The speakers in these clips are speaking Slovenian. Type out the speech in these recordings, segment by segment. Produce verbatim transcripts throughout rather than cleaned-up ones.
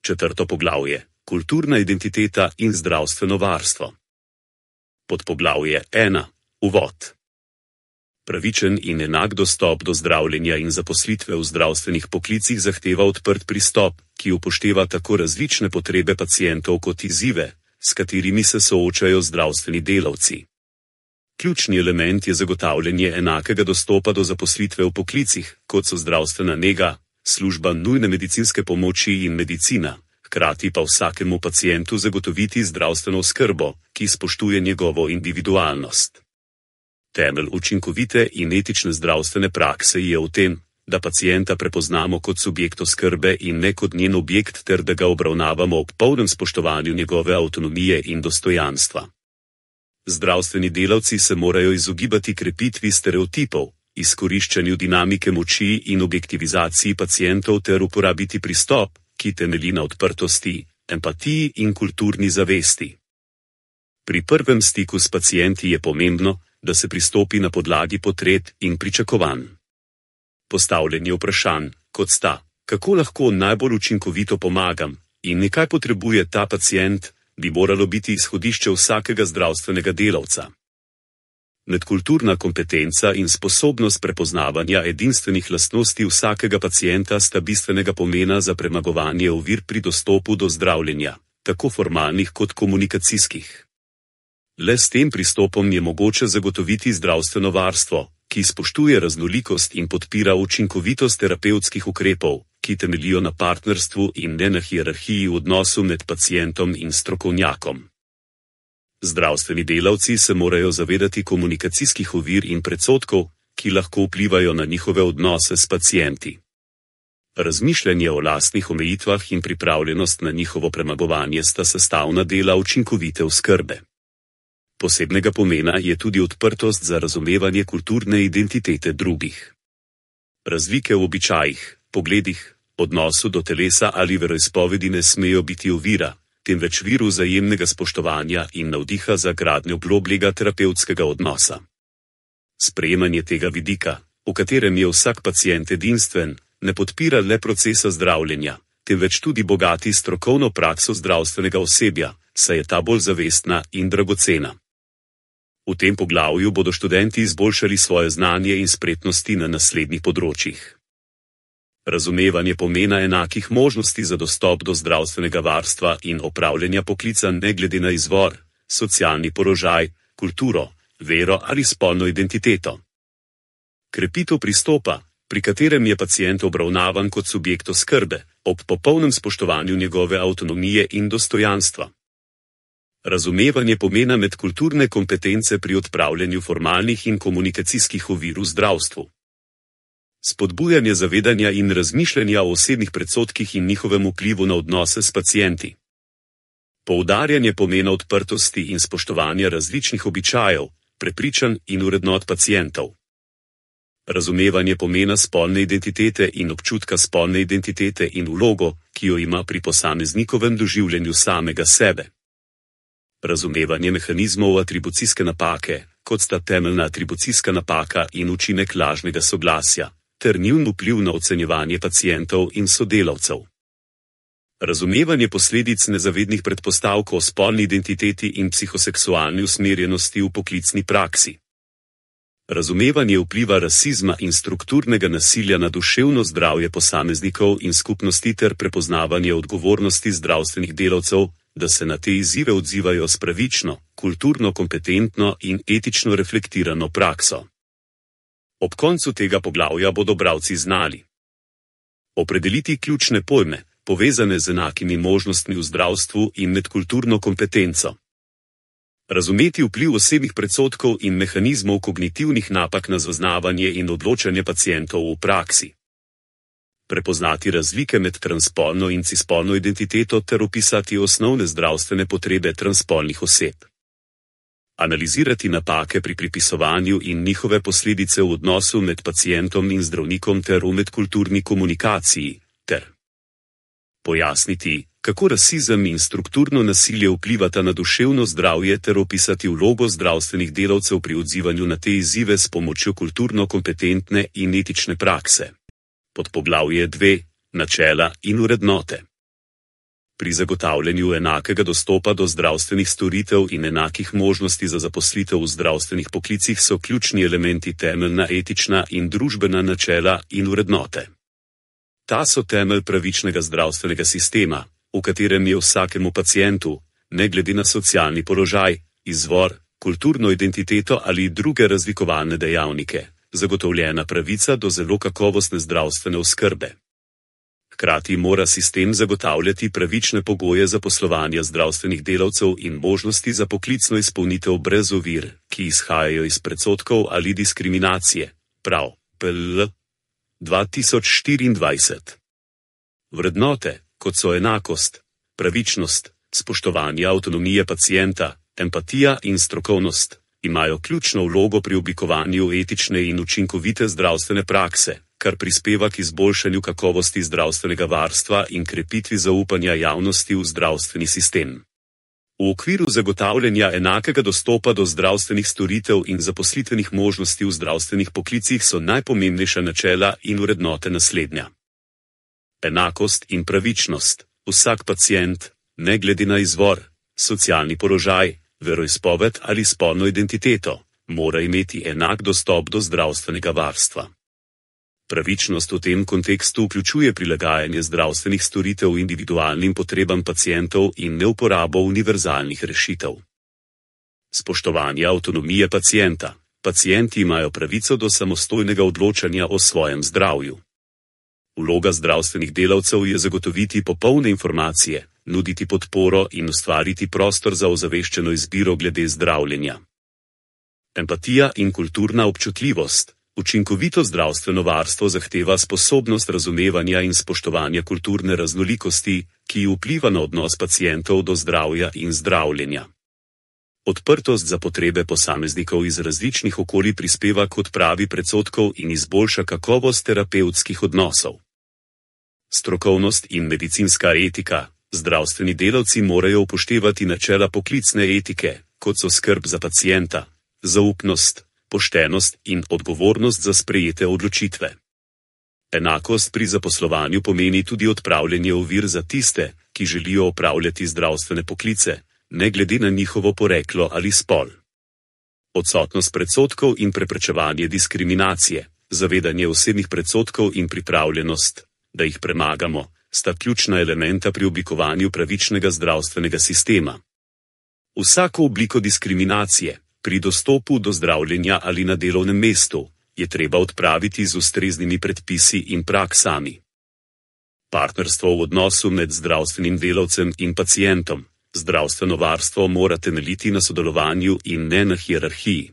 Četrto poglavje: kulturna identiteta in zdravstveno varstvo. Podpoglavje ena. Uvod. Pravičen in enak dostop do zdravljenja in zaposlitve v zdravstvenih poklicih zahteva odprt pristop, ki upošteva tako različne potrebe pacientov kot izzive, s katerimi se soočajo zdravstveni delavci. Ključni element je zagotavljanje enakega dostopa do zaposlitve v poklicih, kot so zdravstvena nega, služba nujne medicinske pomoči in medicina, hkrati pa vsakemu pacientu zagotoviti zdravstveno oskrbo, ki spoštuje njegovo individualnost. Temelj učinkovite in etične zdravstvene prakse je v tem, da pacienta prepoznamo kot subjekt oskrbe in ne kot njen objekt ter da ga obravnavamo ob polnem spoštovanju njegove avtonomije in dostojanstva. Zdravstveni delavci se morajo izogibati krepitvi stereotipov, izkoriščanju dinamike moči in objektivizaciji pacientov ter uporabiti pristop, ki temelji na odprtosti, empatiji in kulturni zavesti. Pri prvem stiku s pacienti je pomembno, da se pristopi na podlagi potreb in pričakovanj. Postavljanje vprašanj, kot sta, kako lahko najbolj učinkovito pomagam in nekaj potrebuje ta pacient, bi moralo biti izhodišče vsakega zdravstvenega delavca. Medkulturna kompetenca in sposobnost prepoznavanja edinstvenih lastnosti vsakega pacienta sta bistvenega pomena za premagovanje ovir pri dostopu do zdravljenja, tako formalnih kot komunikacijskih. Le s tem pristopom je mogoče zagotoviti zdravstveno varstvo, ki spoštuje raznolikost in podpira učinkovitost terapevtskih ukrepov, ki temeljijo na partnerstvu in ne na hierarhiji v odnosu med pacientom in strokovnjakom. Zdravstveni delavci se morajo zavedati komunikacijskih ovir in predsodkov, ki lahko vplivajo na njihove odnose s pacienti. Razmišljanje o lastnih omejitvah in pripravljenost na njihovo premagovanje sta sestavna dela učinkovite oskrbe. Posebnega pomena je tudi odprtost za razumevanje kulturne identitete drugih. Razlike v običajih, pogledih, odnosu do telesa ali veroizpovedi ne smejo biti ovira, temveč vir vzajemnega spoštovanja in navdiha za gradnjo globljega terapevtskega odnosa. Sprejemanje tega vidika, v katerem je vsak pacient edinstven, ne podpira le procesa zdravljenja, temveč tudi bogati strokovno prakso zdravstvenega osebja, saj je ta bolj zavestna in dragocena. V tem poglavju bodo študenti izboljšali svoje znanje in spretnosti na naslednjih področjih. Razumevanje pomena enakih možnosti za dostop do zdravstvenega varstva in opravljanja poklica ne glede na izvor, socialni položaj, kulturo, vero ali spolno identiteto. Krepitev pristopa, pri katerem je pacient obravnavan kot subjekt oskrbe, ob popolnem spoštovanju njegove avtonomije in dostojanstva. Razumevanje pomena medkulturne kompetence pri odpravljanju formalnih in komunikacijskih ovir v zdravstvu. Spodbujanje zavedanja in razmišljanja o osebnih predsodkih in njihovem vplivu na odnose s pacienti. Poudarjanje pomena odprtosti in spoštovanja različnih običajev, prepričanj in vrednot pacientov. Razumevanje pomena spolne identitete in občutka spolne identitete in vlogo, ki jo ima pri posameznikovem doživljanju samega sebe. Razumevanje mehanizmov atribucijske napake, kot sta temeljna atribucijska napaka in učinek lažnega soglasja, ter njun vpliv na ocenjevanje pacientov in sodelavcev. Razumevanje posledic nezavednih predpostavk o spolni identiteti in psihoseksualni usmerjenosti v poklicni praksi. Razumevanje vpliva rasizma in strukturnega nasilja na duševno zdravje posameznikov in skupnosti ter prepoznavanje odgovornosti zdravstvenih delavcev, da se na te izzive odzivajo s pravično, kulturno kompetentno in etično reflektirano prakso. Ob koncu tega poglavja bodo bralci znali opredeliti ključne pojme, povezane z enakimi možnostmi v zdravstvu in medkulturno kompetenco. Razumeti vpliv osebnih predsodkov in mehanizmov kognitivnih napak na zaznavanje in odločanje pacientov v praksi. Prepoznati razlike med transspolno in cispolno identiteto ter opisati osnovne zdravstvene potrebe transspolnih oseb. Analizirati napake pri pripisovanju in njihove posledice v odnosu med pacientom in zdravnikom ter v medkulturni komunikaciji, ter pojasniti, kako rasizem in strukturno nasilje vplivata na duševno zdravje ter opisati vlogo zdravstvenih delavcev pri odzivanju na te izzive s pomočjo kulturno kompetentne in etične prakse. Podpoglavje dve. Načela in vrednote. Pri zagotavljanju enakega dostopa do zdravstvenih storitev in enakih možnosti za zaposlitev v zdravstvenih poklicih so ključni elementi temeljna etična in družbena načela in vrednote. Ta so temelj pravičnega zdravstvenega sistema, v katerem je vsakemu pacientu, ne glede na socialni položaj, izvor, kulturno identiteto ali druge razlikovalne dejavnike, zagotovljena pravica do zelo kakovostne zdravstvene oskrbe. Hkrati mora sistem zagotavljati pravične pogoje za poslovanje zdravstvenih delavcev in možnosti za poklicno izpolnitev brez ovir, ki izhajajo iz predsodkov ali diskriminacije. Prav, P L dva tisoč štiriindvajset. Vrednote, kot so enakost, pravičnost, spoštovanje avtonomije pacienta, empatija in strokovnost, imajo ključno vlogo pri oblikovanju etične in učinkovite zdravstvene prakse, kar prispeva k izboljšanju kakovosti zdravstvenega varstva in krepitvi zaupanja javnosti v zdravstveni sistem. V okviru zagotavljanja enakega dostopa do zdravstvenih storitev in zaposlitvenih možnosti v zdravstvenih poklicih so najpomembnejša načela in vrednote naslednja. Enakost in pravičnost. Vsak pacient, ne glede na izvor, socialni položaj, veroizpoved ali spolno identiteto, mora imeti enak dostop do zdravstvenega varstva. Pravičnost v tem kontekstu vključuje prilagajanje zdravstvenih storitev individualnim potrebam pacientov in neuporabo univerzalnih rešitev. Spoštovanje avtonomije pacienta. Pacienti imajo pravico do samostojnega odločanja o svojem zdravju. Vloga zdravstvenih delavcev je zagotoviti popolne informacije, nuditi podporo in ustvariti prostor za ozaveščeno izbiro glede zdravljenja. Empatija in kulturna občutljivost. Učinkovito zdravstveno varstvo zahteva sposobnost razumevanja in spoštovanja kulturne raznolikosti, ki vpliva na odnos pacientov do zdravja in zdravljenja. Odprtost za potrebe posameznikov iz različnih okolij prispeva k odpravi predsodkov in izboljša kakovost terapevtskih odnosov. Strokovnost in medicinska etika. Zdravstveni delavci morajo upoštevati načela poklicne etike, kot so skrb za pacienta, zaupnost, poštenost in odgovornost za sprejete odločitve. Enakost pri zaposlovanju pomeni tudi odpravljanje ovir za tiste, ki želijo opravljati zdravstvene poklice, ne glede na njihovo poreklo ali spol. Odsotnost predsodkov in preprečevanje diskriminacije, zavedanje osebnih predsodkov in pripravljenost, da jih premagamo, sta ključna elementa pri oblikovanju pravičnega zdravstvenega sistema. Vsako obliko diskriminacije, pri dostopu do zdravljenja ali na delovnem mestu, je treba odpraviti z ustreznimi predpisi in praksami. Partnerstvo v odnosu med zdravstvenim delavcem in pacientom. Zdravstveno varstvo mora temeljiti na sodelovanju in ne na hierarhiji.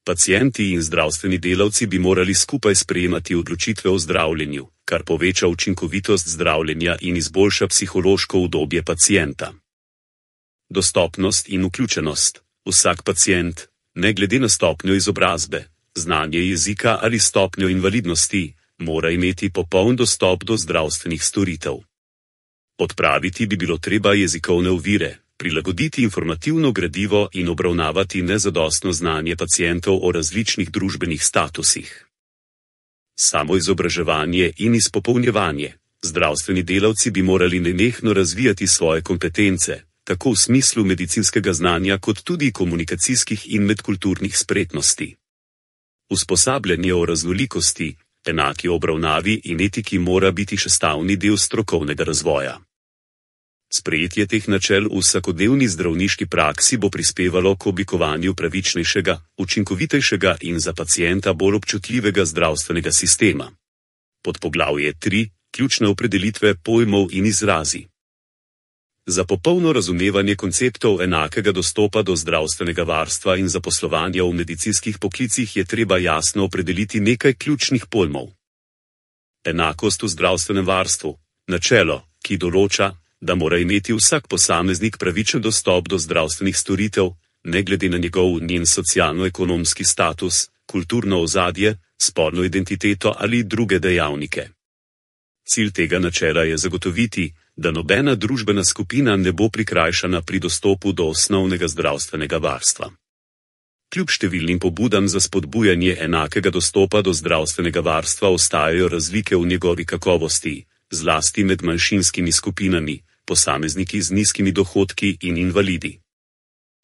Pacienti in zdravstveni delavci bi morali skupaj sprejemati odločitve o zdravljenju, kar poveča učinkovitost zdravljenja in izboljša psihološko udobje pacienta. Dostopnost in vključenost. Vsak pacient, ne glede na stopnjo izobrazbe, znanje jezika ali stopnjo invalidnosti, mora imeti popoln dostop do zdravstvenih storitev. Odpraviti bi bilo treba jezikovne ovire, prilagoditi informativno gradivo in obravnavati nezadostno znanje pacientov o različnih družbenih statusih. Samoizobraževanje in izpopolnjevanje. Zdravstveni delavci bi morali nenehno razvijati svoje kompetence, tako v smislu medicinskega znanja kot tudi komunikacijskih in medkulturnih spretnosti. Usposabljanje o raznolikosti, enaki obravnavi in etiki mora biti sestavni del strokovnega razvoja. Sprejetje teh načel v vsakodnevni zdravniški praksi bo prispevalo k oblikovanju pravičnejšega, učinkovitejšega in za pacienta bolj občutljivega zdravstvenega sistema. Podpoglavje tri. Ključne opredelitve pojmov in izrazi. Za popolno razumevanje konceptov enakega dostopa do zdravstvenega varstva in zaposlovanja v medicinskih poklicih je treba jasno opredeliti nekaj ključnih pojmov. Enakost v zdravstvenem varstvu. Načelo, ki določa, da mora imeti vsak posameznik pravičen dostop do zdravstvenih storitev, ne glede na njegov njen socialno-ekonomski status, kulturno ozadje, spolno identiteto ali druge dejavnike. Cilj tega načela je zagotoviti, da nobena družbena skupina ne bo prikrajšana pri dostopu do osnovnega zdravstvenega varstva. Kljub številnim pobudam za spodbujanje enakega dostopa do zdravstvenega varstva ostajajo razlike v njegovi kakovosti, zlasti med manjšinskimi skupinami, posamezniki z nizkimi dohodki in invalidi.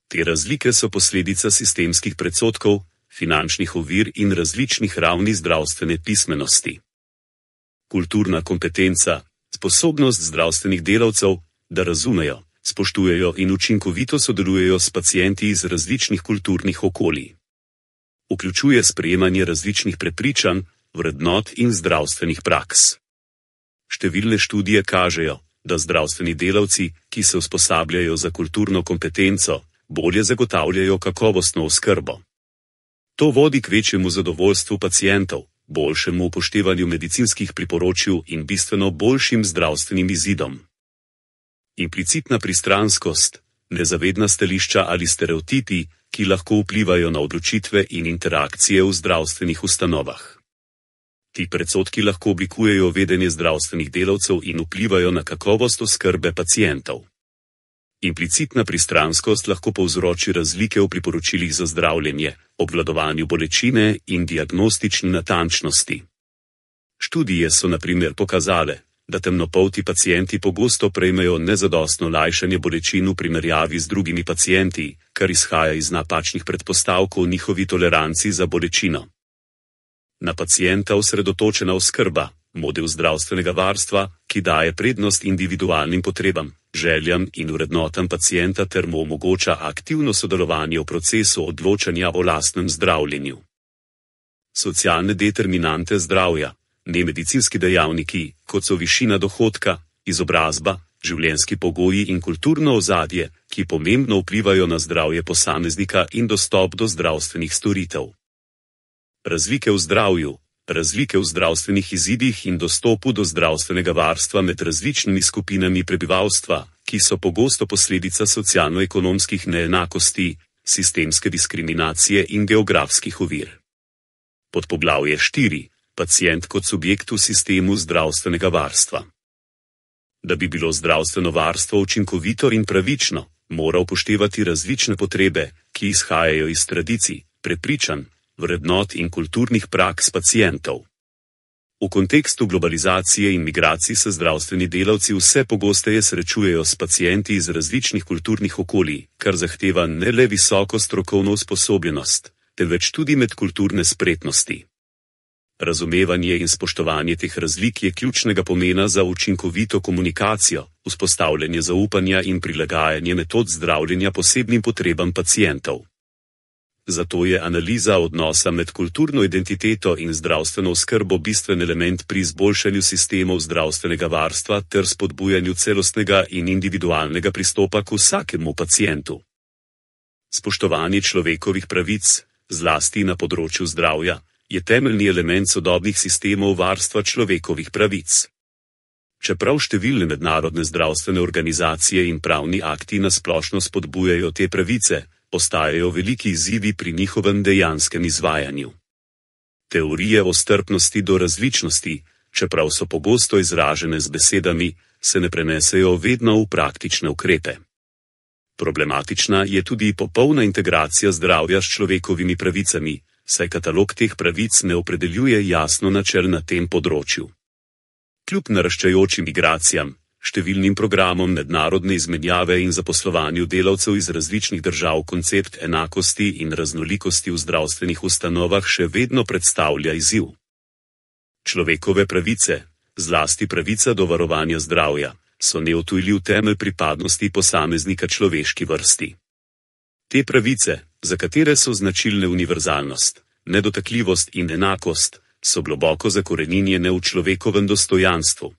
Te razlike so posledica sistemskih predsodkov, finančnih ovir in različnih ravni zdravstvene pismenosti. Kulturna kompetenca, sposobnost zdravstvenih delavcev, da razumejo, spoštujejo in učinkovito sodelujejo s pacienti iz različnih kulturnih okolij. Vključuje sprejemanje različnih prepričanj, vrednot in zdravstvenih praks. Številne študije kažejo, da zdravstveni delavci, ki se usposabljajo za kulturno kompetenco, bolje zagotavljajo kakovostno oskrbo. To vodi k večjemu zadovoljstvu pacientov, boljšemu upoštevanju medicinskih priporočil in bistveno boljšim zdravstvenim izidom. Implicitna pristranskost, nezavedna stališča ali stereotipi, ki lahko vplivajo na odločitve in interakcije v zdravstvenih ustanovah. Ti predsodki lahko oblikujejo vedenje zdravstvenih delavcev in vplivajo na kakovost oskrbe pacientov. Implicitna pristranskost lahko povzroči razlike v priporočilih za zdravljenje, obvladovanju bolečine in diagnostični natančnosti. Študije so na primer pokazale, da temnopolti pacienti pogosto prejmejo nezadostno lajšanje bolečin v primerjavi z drugimi pacienti, kar izhaja iz napačnih predpostavkov o njihovi toleranci za bolečino. Na pacienta osredotočena oskrba, model zdravstvenega varstva, ki daje prednost individualnim potrebam, željam in vrednotam pacienta ter mu omogoča aktivno sodelovanje v procesu odločanja o lastnem zdravljenju. Socialne determinante zdravja, nemedicinski dejavniki, kot so višina dohodka, izobrazba, življenjski pogoji in kulturno ozadje, ki pomembno vplivajo na zdravje posameznika in dostop do zdravstvenih storitev. Razlike v zdravju, razlike v zdravstvenih izidih in dostopu do zdravstvenega varstva med različnimi skupinami prebivalstva, ki so pogosto posledica socialno-ekonomskih neenakosti, sistemske diskriminacije in geografskih ovir. Podpoglavje štiri. Pacient kot subjekt v sistemu zdravstvenega varstva. Da bi bilo zdravstveno varstvo učinkovito in pravično, mora upoštevati različne potrebe, ki izhajajo iz tradicij, prepričanj, vrednot in kulturnih praks pacientov. V kontekstu globalizacije in migracij se zdravstveni delavci vse pogosteje srečujejo s pacienti iz različnih kulturnih okolij, kar zahteva ne le visoko strokovno usposobljenost, temveč tudi medkulturne spretnosti. Razumevanje in spoštovanje teh razlik je ključnega pomena za učinkovito komunikacijo, vzpostavljanje zaupanja in prilagajanje metod zdravljenja posebnim potrebam pacientov. Zato je analiza odnosa med kulturno identiteto in zdravstveno oskrbo bistven element pri izboljšanju sistemov zdravstvenega varstva ter spodbujanju celostnega in individualnega pristopa k vsakemu pacientu. Spoštovanje človekovih pravic, zlasti na področju zdravja, je temeljni element sodobnih sistemov varstva človekovih pravic. Čeprav številne mednarodne zdravstvene organizacije in pravni akti nasplošno spodbujajo te pravice, postajajo veliki izzivi pri njihovem dejanskem izvajanju. Teorije o strpnosti do različnosti, čeprav so pogosto izražene z besedami, se ne prenesejo vedno v praktične ukrepe. Problematična je tudi popolna integracija zdravja s človekovimi pravicami, saj katalog teh pravic ne opredeljuje jasno načel na tem področju. Kljub naraščajočim migracijam, številnim programom mednarodne izmenjave in zaposlovanju delavcev iz različnih držav koncept enakosti in raznolikosti v zdravstvenih ustanovah še vedno predstavlja izziv. Človekove pravice, zlasti pravica do varovanja zdravja, so neodtujljiv temelj pripadnosti posameznika človeški vrsti. Te pravice, za katere so značilne univerzalnost, nedotakljivost in enakost, so globoko zakoreninjene v človekovem dostojanstvu.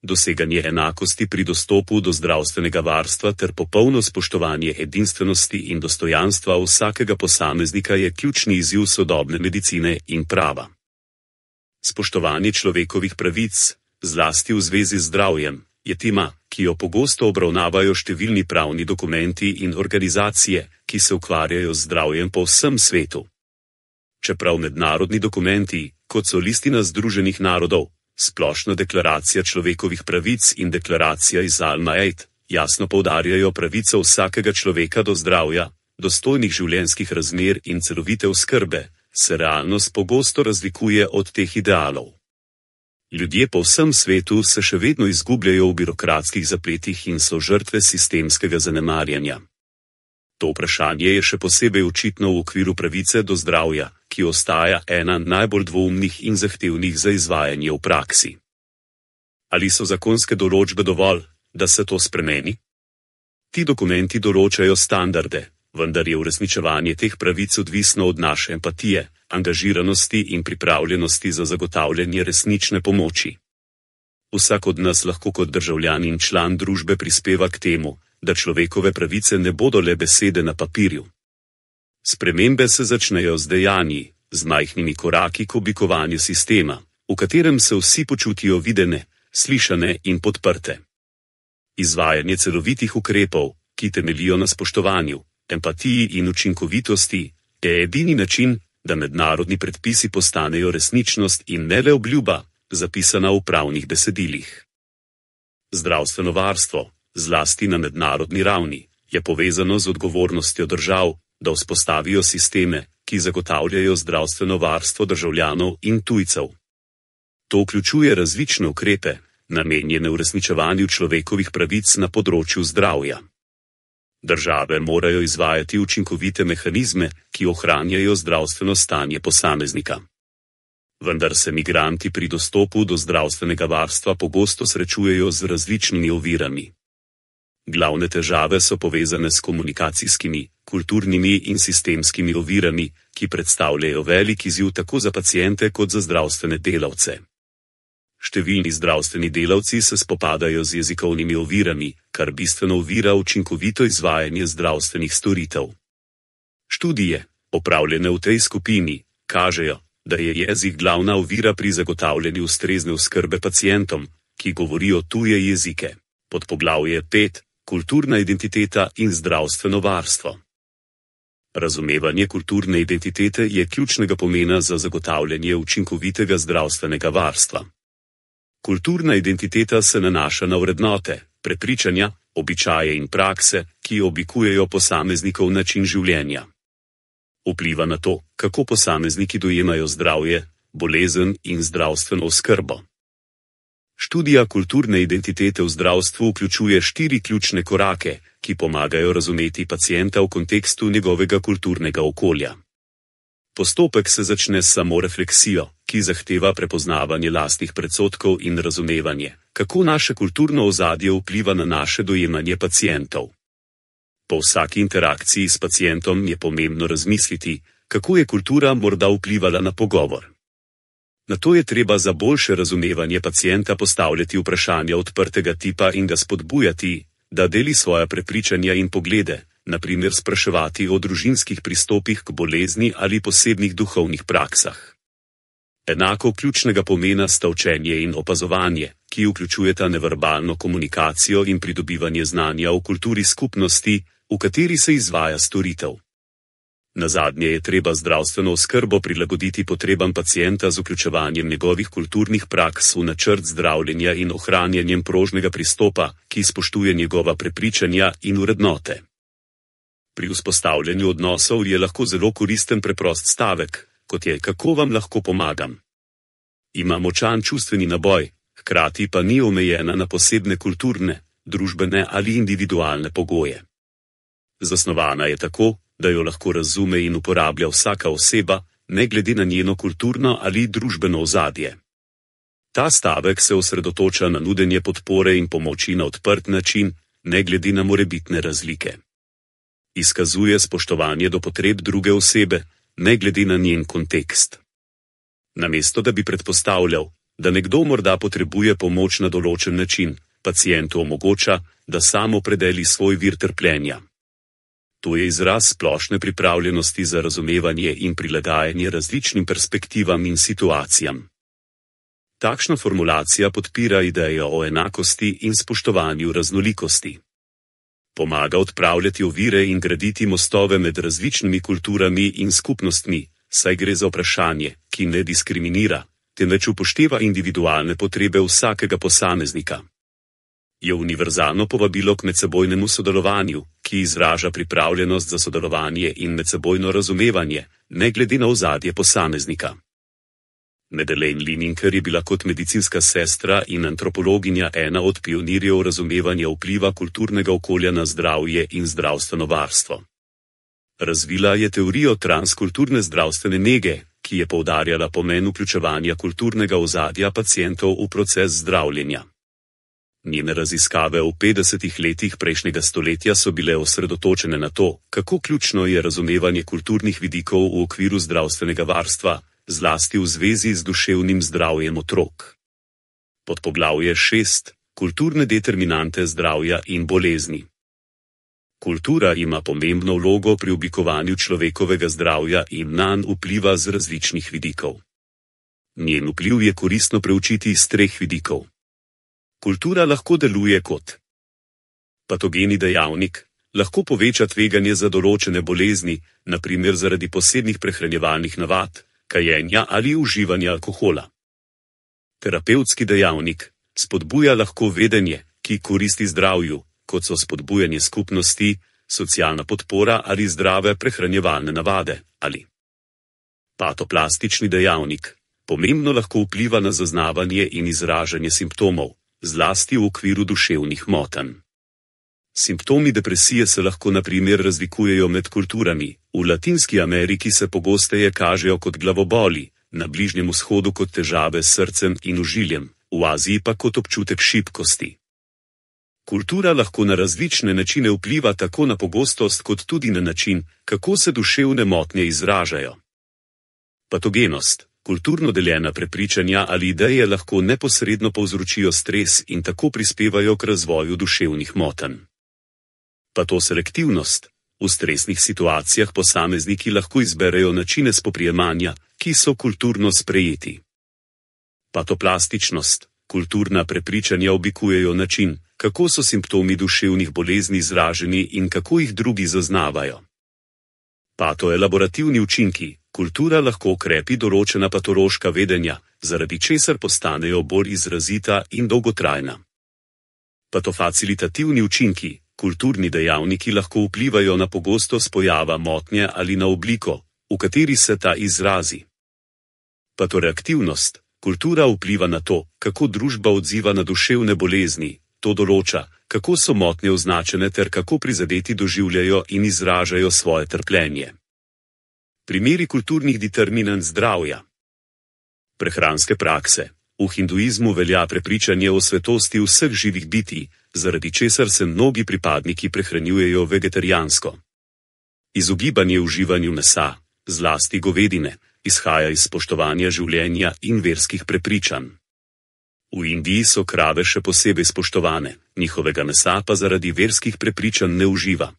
Doseganje enakosti pri dostopu do zdravstvenega varstva ter popolno spoštovanje edinstvenosti in dostojanstva vsakega posameznika je ključni izziv sodobne medicine in prava. Spoštovanje človekovih pravic, zlasti v zvezi z zdravjem, je tema, ki jo pogosto obravnavajo številni pravni dokumenti in organizacije, ki se ukvarjajo z zdravjem po vsem svetu. Čeprav mednarodni dokumenti, kot so Listina Združenih narodov, Splošna deklaracija človekovih pravic in deklaracija iz Alma-Ate, jasno poudarjajo pravico vsakega človeka do zdravja, dostojnih življenjskih razmer in celovite oskrbe, se realnost pogosto razlikuje od teh idealov. Ljudje po vsem svetu se še vedno izgubljajo v birokratskih zapletih in so žrtve sistemskega zanemarjanja. To vprašanje je še posebej očitno v okviru pravice do zdravja, ki ostaja ena najbolj dvoumnih in zahtevnih za izvajanje v praksi. Ali so zakonske določbe dovolj, da se to spremeni? Ti dokumenti določajo standarde, vendar je uresničevanje teh pravic odvisno od naše empatije, angažiranosti in pripravljenosti za zagotavljanje resnične pomoči. Vsak od nas lahko kot državljan in član družbe prispeva k temu, da človekove pravice ne bodo le besede na papirju. Spremembe se začnejo z dejanji, z majhnimi koraki k oblikovanju sistema, v katerem se vsi počutijo videne, slišane in podprte. Izvajanje celovitih ukrepov, ki temeljijo na spoštovanju, empatiji in učinkovitosti, je edini način, da mednarodni predpisi postanejo resničnost in ne le obljuba, zapisana v pravnih besedilih. Zdravstveno varstvo, zlasti na mednarodni ravni, je povezano z odgovornostjo držav, da vzpostavijo sisteme, ki zagotavljajo zdravstveno varstvo državljanov in tujcev. To vključuje različne ukrepe, namenjene uresničevanju človekovih pravic na področju zdravja. Države morajo izvajati učinkovite mehanizme, ki ohranjajo zdravstveno stanje posameznika. Vendar se migranti pri dostopu do zdravstvenega varstva pogosto srečujejo z različnimi ovirami. Glavne težave so povezane s komunikacijskimi, kulturnimi in sistemskimi ovirami, ki predstavljajo velik izziv tako za paciente kot za zdravstvene delavce. Številni zdravstveni delavci se spopadajo z jezikovnimi ovirami, kar bistveno ovira učinkovito izvajanje zdravstvenih storitev. Študije, opravljene v tej skupini, kažejo, da je jezik glavna ovira pri zagotavljanju ustrezne oskrbe pacientom, ki govorijo tuje jezike. Podpoglavje pet. Kulturna identiteta in zdravstveno varstvo. Razumevanje kulturne identitete je ključnega pomena za zagotavljanje učinkovitega zdravstvenega varstva. Kulturna identiteta se nanaša na vrednote, prepričanja, običaje in prakse, ki oblikujejo posameznikov način življenja. Vpliva na to, kako posamezniki dojemajo zdravje, bolezen in zdravstveno oskrbo. Študija kulturne identitete v zdravstvu vključuje štiri ključne korake, ki pomagajo razumeti pacienta v kontekstu njegovega kulturnega okolja. Postopek se začne s samorefleksijo, ki zahteva prepoznavanje lastnih predsodkov in razumevanje, kako naše kulturno ozadje vpliva na naše dojemanje pacientov. Po vsaki interakciji s pacientom je pomembno razmisliti, kako je kultura morda vplivala na pogovor. Nato je treba za boljše razumevanje pacienta postavljati vprašanja odprtega tipa in ga spodbujati, da deli svoja prepričanja in poglede, na primer spraševati o družinskih pristopih k bolezni ali posebnih duhovnih praksah. Enako ključnega pomena sta učenje in opazovanje, ki vključujeta neverbalno komunikacijo in pridobivanje znanja o kulturi skupnosti, v kateri se izvaja storitev. Nazadnje je treba zdravstveno oskrbo prilagoditi potrebam pacienta z vključevanjem njegovih kulturnih praks v načrt zdravljenja in ohranjanjem prožnega pristopa, ki spoštuje njegova prepričanja in vrednote. Pri vzpostavljanju odnosov je lahko zelo koristen preprost stavek, kot je kako vam lahko pomagam. Ima močan čustveni naboj, hkrati pa ni omejena na posebne kulturne, družbene ali individualne pogoje. Zasnovana je tako, da jo lahko razume in uporablja vsaka oseba, ne glede na njeno kulturno ali družbeno ozadje. Ta stavek se osredotoča na nudenje podpore in pomoči na odprt način, ne glede na morebitne razlike. Izkazuje spoštovanje do potreb druge osebe, ne glede na njen kontekst. Namesto da bi predpostavljal, da nekdo morda potrebuje pomoč na določen način, pacientu omogoča, da sam opredeli svoj vir trpljenja. To je izraz splošne pripravljenosti za razumevanje in prilagajanje različnim perspektivam in situacijam. Takšna formulacija podpira idejo o enakosti in spoštovanju raznolikosti. Pomaga odpravljati ovire in graditi mostove med različnimi kulturami in skupnostmi, saj gre za vprašanje, ki ne diskriminira, temveč upošteva individualne potrebe vsakega posameznika. Je univerzalno povabilo k medsebojnemu sodelovanju, ki izraža pripravljenost za sodelovanje in medsebojno razumevanje, ne glede na ozadje posameznika. Madeleine Lineker je bila kot medicinska sestra in antropologinja ena od pionirjev razumevanja vpliva kulturnega okolja na zdravje in zdravstveno varstvo. Razvila je teorijo transkulturne zdravstvene nege, ki je poudarjala pomen vključevanja kulturnega ozadja pacientov v proces zdravljenja. Njene raziskave v petdesetih letih prejšnjega stoletja so bile osredotočene na to, kako ključno je razumevanje kulturnih vidikov v okviru zdravstvenega varstva, zlasti v zvezi z duševnim zdravjem otrok. Podpoglavje šest. Kulturne determinante zdravja in bolezni. Kultura ima pomembno vlogo pri oblikovanju človekovega zdravja in nanj vpliva z različnih vidikov. Njen vpliv je koristno preučiti iz treh vidikov. Kultura lahko deluje kot patogeni dejavnik, lahko poveča tveganje za določene bolezni, na primer zaradi posebnih prehranjevalnih navad, kajenja ali uživanja alkohola. Terapevtski dejavnik, spodbuja lahko vedenje, ki koristi zdravju, kot so spodbujanje skupnosti, socialna podpora ali zdrave prehranjevalne navade, ali patoplastični dejavnik, pomembno lahko vpliva na zaznavanje in izražanje simptomov, zlasti v okviru duševnih motenj. Simptomi depresije se lahko na primer razlikujejo med kulturami, v Latinski Ameriki se pogosteje kažejo kot glavoboli, na Bližnjem vzhodu kot težave s srcem in ožiljem, v Aziji pa kot občutek šibkosti. Kultura lahko na različne načine vpliva tako na pogostost kot tudi na način, kako se duševne motnje izražajo. Patogenost, kulturno deljena prepričanja ali ideje lahko neposredno povzročijo stres in tako prispevajo k razvoju duševnih motenj. Patoselektivnost, v stresnih situacijah posamezniki lahko izberejo načine spoprijemanja, ki so kulturno sprejeti. Patoplastičnost, kulturna prepričanja oblikujejo način, kako so simptomi duševnih bolezni izraženi in kako jih drugi zaznavajo. Patoelaborativni učinki, kultura lahko okrepi določena patološka vedenja, zaradi česar postanejo bolj izrazita in dolgotrajna. Patofacilitativni učinki, kulturni dejavniki lahko vplivajo na pogostost pojava motnje ali na obliko, v kateri se ta izrazi. Patoreaktivnost, kultura vpliva na to, kako družba odziva na duševne bolezni, to določa, kako so motnje označene ter kako prizadeti doživljajo in izražajo svoje trpljenje. Primeri kulturnih determinant zdravja. Prehranske prakse. V hinduizmu velja prepričanje o svetosti vseh živih bitij, zaradi česar se mnogi pripadniki prehranjujejo vegetarijansko. Izogibanje uživanju mesa, zlasti govedine, izhaja iz spoštovanja življenja in verskih prepričanj. V Indiji so krave še posebej spoštovane, njihovega mesa pa zaradi verskih prepričanj ne uživa.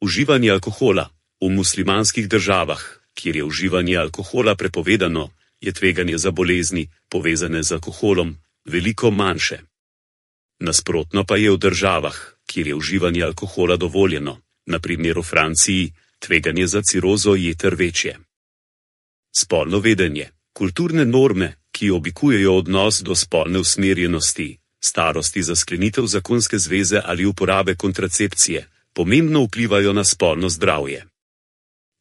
Uživanje alkohola. V muslimanskih državah, kjer je uživanje alkohola prepovedano, je tveganje za bolezni, povezane z alkoholom, veliko manjše. Nasprotno pa je v državah, kjer je uživanje alkohola dovoljeno, na primer v Franciji, tveganje za cirozo jeter večje. Spolno vedenje, kulturne norme, ki oblikujejo odnos do spolne usmerjenosti, starosti za sklenitev zakonske zveze ali uporabe kontracepcije, pomembno vplivajo na spolno zdravje.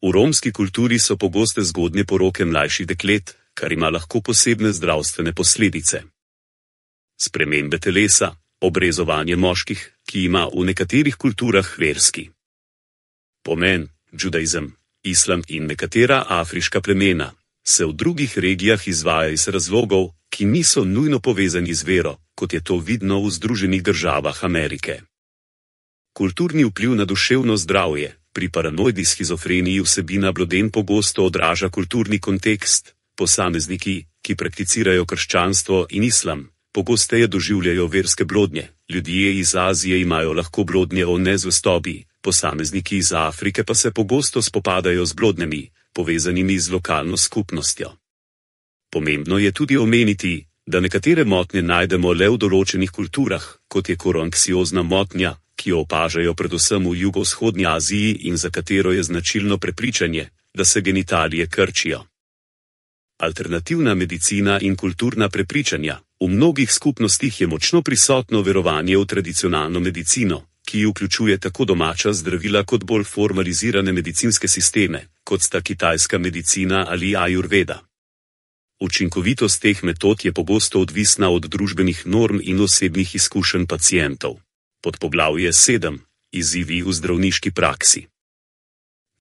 V romski kulturi so pogoste zgodnje poroke mlajših deklet, kar ima lahko posebne zdravstvene posledice. Spremembe telesa, obrezovanje moških, ki ima v nekaterih kulturah verski pomen, judaizem, islam in nekatera afriška plemena, se v drugih regijah izvaja iz razlogov, ki niso nujno povezani z vero, kot je to vidno v Združenih državah Amerike. Kulturni vpliv na duševno zdravje. Pri paranoidi shizofreniji vsebina bloden pogosto odraža kulturni kontekst, posamezniki, ki prakticirajo krščanstvo in islam, pogosteje doživljajo verske blodnje, ljudje iz Azije imajo lahko blodnje o nezvestobi, posamezniki iz Afrike pa se pogosto spopadajo z blodnjami, povezanimi z lokalno skupnostjo. Pomembno je tudi omeniti, da nekatere motnje najdemo le v določenih kulturah, kot je koroanksiozna motnja, ki jo opažajo predvsem v jugovzhodni Aziji in za katero je značilno prepričanje, da se genitalije krčijo. Alternativna medicina in kulturna prepričanja. V mnogih skupnostih je močno prisotno verovanje v tradicionalno medicino, ki vključuje tako domača zdravila kot bolj formalizirane medicinske sisteme, kot sta kitajska medicina ali ajurveda. Učinkovitost teh metod je pogosto odvisna od družbenih norm in osebnih izkušenj pacientov. Podpoglavje sedem. Izzivi v zdravniški praksi.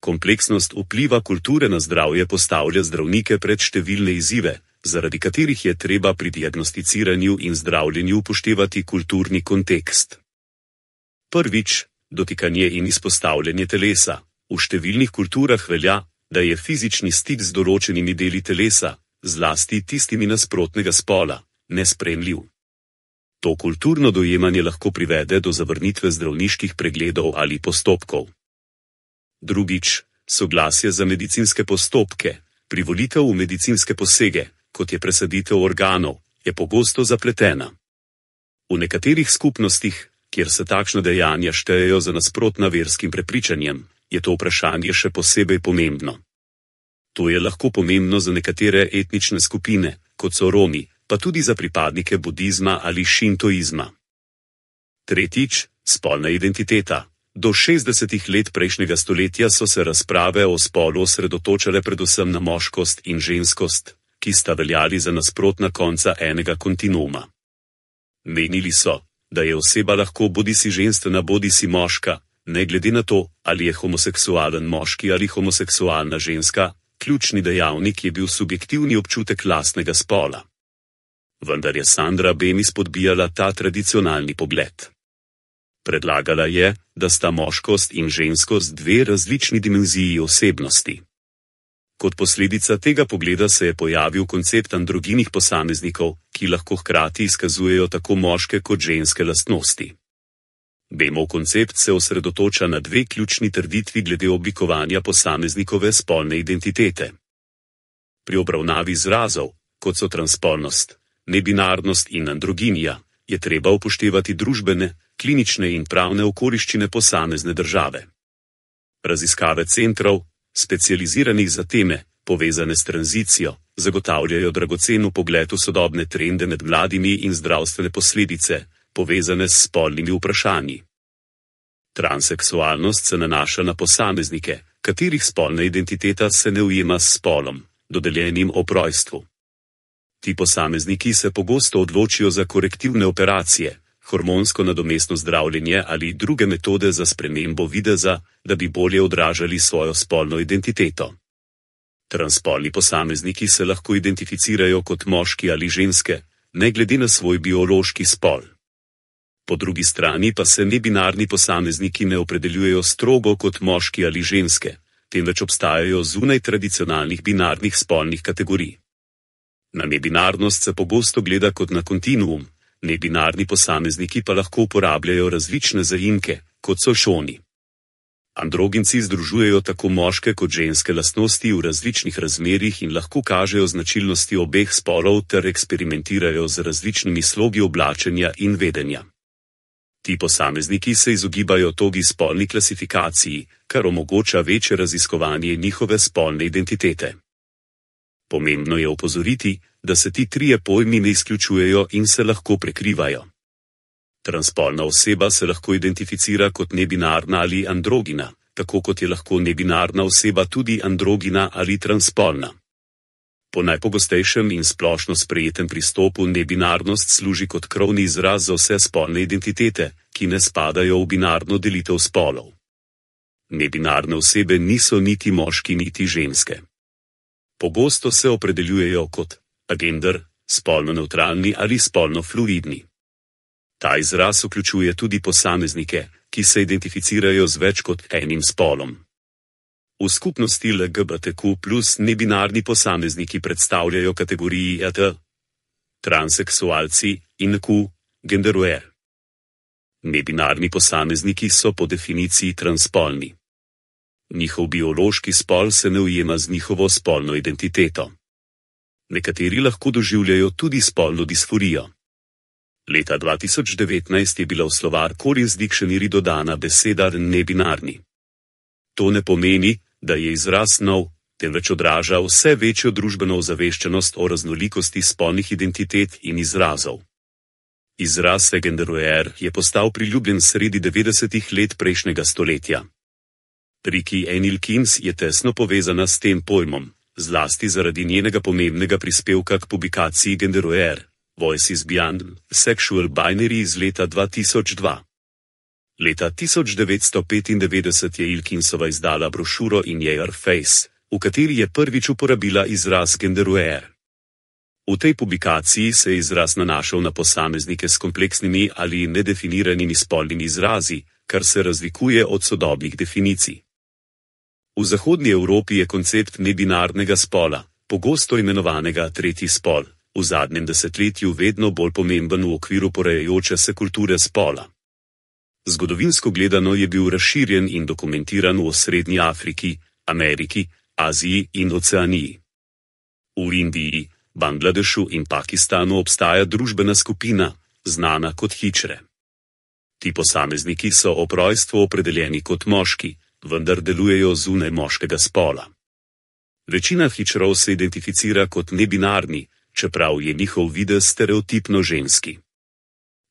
Kompleksnost vpliva kulture na zdravje postavlja zdravnike pred številne izzive, zaradi katerih je treba pri diagnosticiranju in zdravljenju upoštevati kulturni kontekst. Prvič, dotikanje in izpostavljanje telesa. V številnih kulturah velja, da je fizični stik z določenimi deli telesa, zlasti tistimi nasprotnega spola, nesprejemljiv. To kulturno dojemanje lahko privede do zavrnitve zdravniških pregledov ali postopkov. Drugič, soglasje za medicinske postopke. Privolitev v medicinske posege, kot je presaditev organov, je pogosto zapletena. V nekaterih skupnostih, kjer se takšna dejanja štejejo za nasprotna verskim prepričanjem, je to vprašanje še posebej pomembno. To je lahko pomembno za nekatere etnične skupine, kot so Romi, pa tudi za pripadnike budizma ali šintoizma. Tretjič, spolna identiteta. Do šestdesetih let prejšnjega stoletja so se razprave o spolu osredotočale predvsem na moškost in ženskost, ki sta veljali za nasprotna konca enega kontinuuma. Menili so, da je oseba lahko bodisi ženstvena bodisi moška, ne glede na to, ali je homoseksualen moški ali homoseksualna ženska, ključni dejavnik je bil subjektivni občutek lastnega spola. Vendar je Sandra Bemis spodbijala ta tradicionalni pogled. Predlagala je, da sta moškost in ženskost dve različni dimenziji osebnosti. Kot posledica tega pogleda se je pojavil koncept androginih posameznikov, ki lahko hkrati izkazujejo tako moške kot ženske lastnosti. Bemov koncept se osredotoča na dve ključni trditvi glede oblikovanja posameznikove spolne identitete. Pri obravnavi izrazov, kot so transpolnost, nebinarnost in androginija, je treba upoštevati družbene, klinične in pravne okoliščine posamezne države. Raziskave centrov, specializiranih za teme, povezane s tranzicijo, zagotavljajo dragocen vpogled v sodobne trende med mladimi in zdravstvene posledice, povezane s spolnimi vprašanji. Transseksualnost se nanaša na posameznike, katerih spolna identiteta se ne ujema s spolom, dodeljenim ob rojstvu. Ti posamezniki se pogosto odločijo za korektivne operacije, hormonsko nadomestno zdravljenje ali druge metode za spremembo videza, da bi bolje odražali svojo spolno identiteto. Transspolni posamezniki se lahko identificirajo kot moški ali ženske, ne glede na svoj biološki spol. Po drugi strani pa se nebinarni posamezniki ne opredeljujejo strogo kot moški ali ženske, temveč obstajajo zunaj tradicionalnih binarnih spolnih kategorij. Na nebinarnost se pogosto gleda kot na kontinuum, nebinarni posamezniki pa lahko uporabljajo različne zaimke, kot so šoni. Androginci združujejo tako moške kot ženske lastnosti v različnih razmerjih in lahko kažejo značilnosti obeh spolov ter eksperimentirajo z različnimi slogi oblačenja in vedenja. Ti posamezniki se izogibajo togi spolni klasifikaciji, kar omogoča večje raziskovanje njihove spolne identitete. Pomembno je opozoriti, da se ti trije pojmi ne izključujejo in se lahko prekrivajo. Transspolna oseba se lahko identificira kot nebinarna ali androgina, tako kot je lahko nebinarna oseba tudi androgina ali transspolna. Po najpogostejšem in splošno sprejetem pristopu nebinarnost služi kot krovni izraz za vse spolne identitete, ki ne spadajo v binarno delitev spolov. Nebinarne osebe niso niti moški niti ženske. Pogosto se opredeljujejo kot agender, spolno nevtralni ali spolno fluidni. Ta izraz vključuje tudi posameznike, ki se identificirajo z več kot enim spolom. V skupnosti L G B T Q plus nebinarni posamezniki predstavljajo kategoriji E T, transseksualci in Q, genderuer. Nebinarni posamezniki so po definiciji transspolni. Njihov biološki spol se ne ujema z njihovo spolno identiteto. Nekateri lahko doživljajo tudi spolno disforijo. Leta dva tisoč devetnajst je bila v slovar Collins Dictionary dodana beseda nebinarni. To ne pomeni, da je izraz nov, temveč odraža vse večjo družbeno ozaveščenost o raznolikosti spolnih identitet in izrazov. Izraz genderuer je postal priljubljen sredi devetdesetih let prejšnjega stoletja. Ricky Enilkins je tesno povezana s tem pojmom, zlasti zaradi njenega pomembnega prispevka k publikaciji Genderuer, Voices Beyond Sexual Binary iz leta dva tisoč dva. Leta tisoč devetsto petindevetdeset je Ilkinsova izdala brošuro In Your Face, v kateri je prvič uporabila izraz Genderuer. V tej publikaciji se je izraz nanašal na posameznike s kompleksnimi ali nedefiniranimi spolnimi izrazi, kar se razlikuje od sodobnih definicij. V zahodni Evropi je koncept nebinarnega spola, pogosto imenovanega tretji spol, v zadnjem desetletju vedno bolj pomemben v okviru porajajoče se kulture spola. Zgodovinsko gledano je bil razširjen in dokumentiran v Srednji Afriki, Ameriki, Aziji in Oceaniji. V Indiji, Bangladešu in Pakistanu obstaja družbena skupina, znana kot hičre. Ti posamezniki so ob rojstvu opredeljeni kot moški, vendar delujejo zunaj moškega spola. Večina hičrov se identificira kot nebinarni, čeprav je njihov videz stereotipno ženski.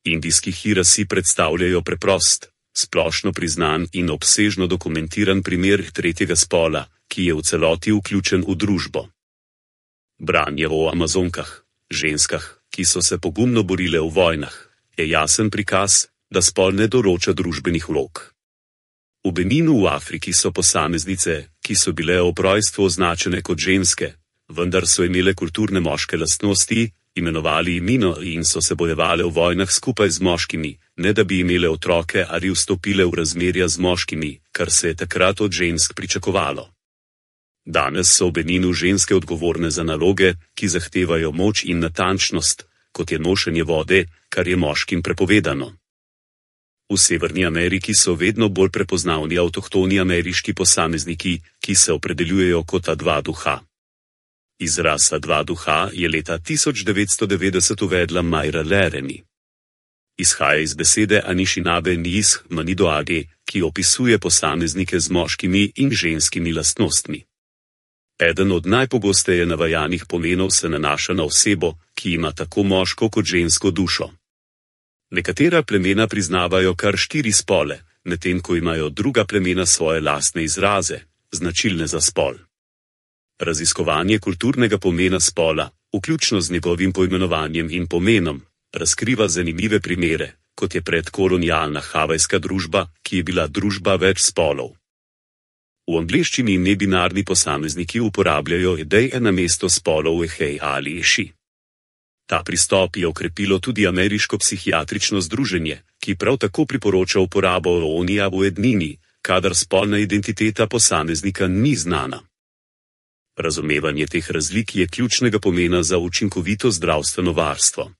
Indijski hirasi predstavljajo preprost, splošno priznan in obsežno dokumentiran primer tretjega spola, ki je v celoti vključen v družbo. Branje o Amazonkah, ženskah, ki so se pogumno borile v vojnah, je jasen prikaz, da spol ne določa družbenih vlog. V Beninu v Afriki so posameznice, ki so bile ob rojstvu označene kot ženske, vendar so imele kulturne moške lastnosti, imenovali imino in so se bojevale v vojnah skupaj z moškimi, ne da bi imele otroke ali vstopile v razmerja z moškimi, kar se je takrat od žensk pričakovalo. Danes so v Beninu ženske odgovorne za naloge, ki zahtevajo moč in natančnost, kot je nošenje vode, kar je moškim prepovedano. V Severni Ameriki so vedno bolj prepoznavni avtohtoni ameriški posamezniki, ki se opredeljujejo kot A dva duha. Izraz A dva duha je leta tisoč devetsto devetdeset uvedla Mayra Laramie. Izhaja iz besede Anishinaabe Nis Manidoage, ki opisuje posameznike z moškimi in ženskimi lastnostmi. Eden od najpogosteje navajanih pomenov se nanaša na osebo, ki ima tako moško kot žensko dušo. Nekatera plemena priznavajo kar štiri spole, medtem ko imajo druga plemena svoje lastne izraze, značilne za spol. Raziskovanje kulturnega pomena spola, vključno z njegovim poimenovanjem in pomenom, razkriva zanimive primere, kot je predkolonialna havajska družba, ki je bila družba več spolov. V angleščini nebinarni posamezniki uporabljajo ideje namesto spolov ehej ali eši. Ta pristop je okrepilo tudi ameriško psihiatrično združenje, ki prav tako priporoča uporabo onija v ednini, kadar spolna identiteta posameznika ni znana. Razumevanje teh razlik je ključnega pomena za učinkovito zdravstveno varstvo.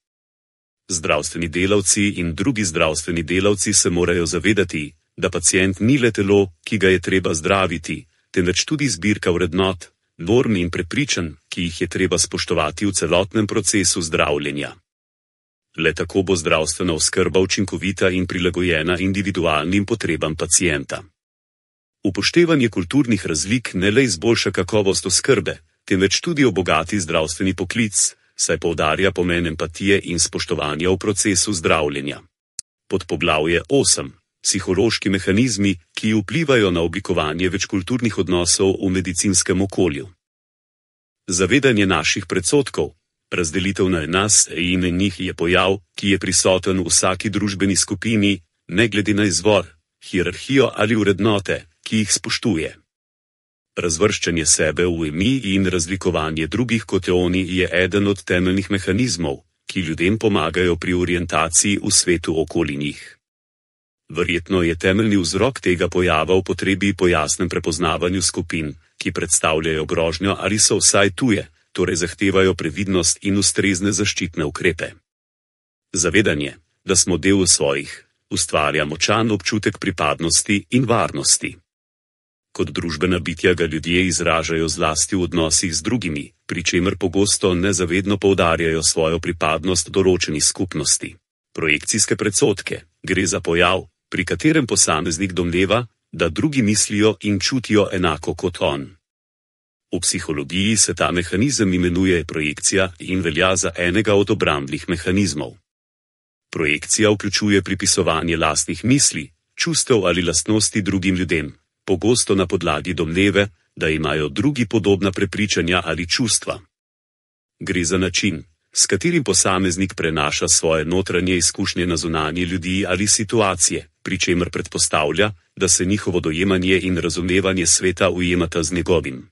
Zdravstveni delavci in drugi zdravstveni delavci se morajo zavedati, da pacient ni le telo, ki ga je treba zdraviti, temveč tudi zbirka vrednot, norm in prepričanj, ki jih je treba spoštovati v celotnem procesu zdravljenja. Le tako bo zdravstvena oskrba učinkovita in prilagojena individualnim potrebam pacienta. Upoštevanje kulturnih razlik ne le izboljša kakovost oskrbe, temveč tudi obogati zdravstveni poklic, saj poudarja pomen empatije in spoštovanja v procesu zdravljenja. Podpoglavje osem. Psihološki mehanizmi, ki vplivajo na oblikovanje večkulturnih odnosov v medicinskem okolju. Zavedanje naših predsodkov, razdelitev na nas in njih je pojav, ki je prisoten v vsaki družbeni skupini, ne glede na izvor, hierarhijo ali vrednote, ki jih spoštuje. Razvrščanje sebe v mi in razlikovanje drugih kot oni je eden od temeljnih mehanizmov, ki ljudem pomagajo pri orientaciji v svetu okoli njih. Verjetno je temeljni vzrok tega pojava v potrebi po jasnem prepoznavanju skupin, ki predstavljajo grožnjo ali so vsaj tuje, torej zahtevajo previdnost in ustrezne zaščitne ukrepe. Zavedanje, da smo del svojih, ustvarja močan občutek pripadnosti in varnosti. Kot družbena bitja ga ljudje izražajo zlasti v odnosih z drugimi, pri čemer pogosto nezavedno poudarjajo svojo pripadnost določeni skupnosti. Projekcijske predsodke, gre za pojav, pri katerem posameznik domneva, da drugi mislijo in čutijo enako kot on. V psihologiji se ta mehanizem imenuje projekcija in velja za enega od obrambnih mehanizmov. Projekcija vključuje pripisovanje lastnih misli, čustev ali lastnosti drugim ljudem, pogosto na podlagi domneve, da imajo drugi podobna prepričanja ali čustva. Gre za način, s katerim posameznik prenaša svoje notranje izkušnje na zunanje ljudi ali situacije, pri čemer predpostavlja, da se njihovo dojemanje in razumevanje sveta ujemata z njegovim.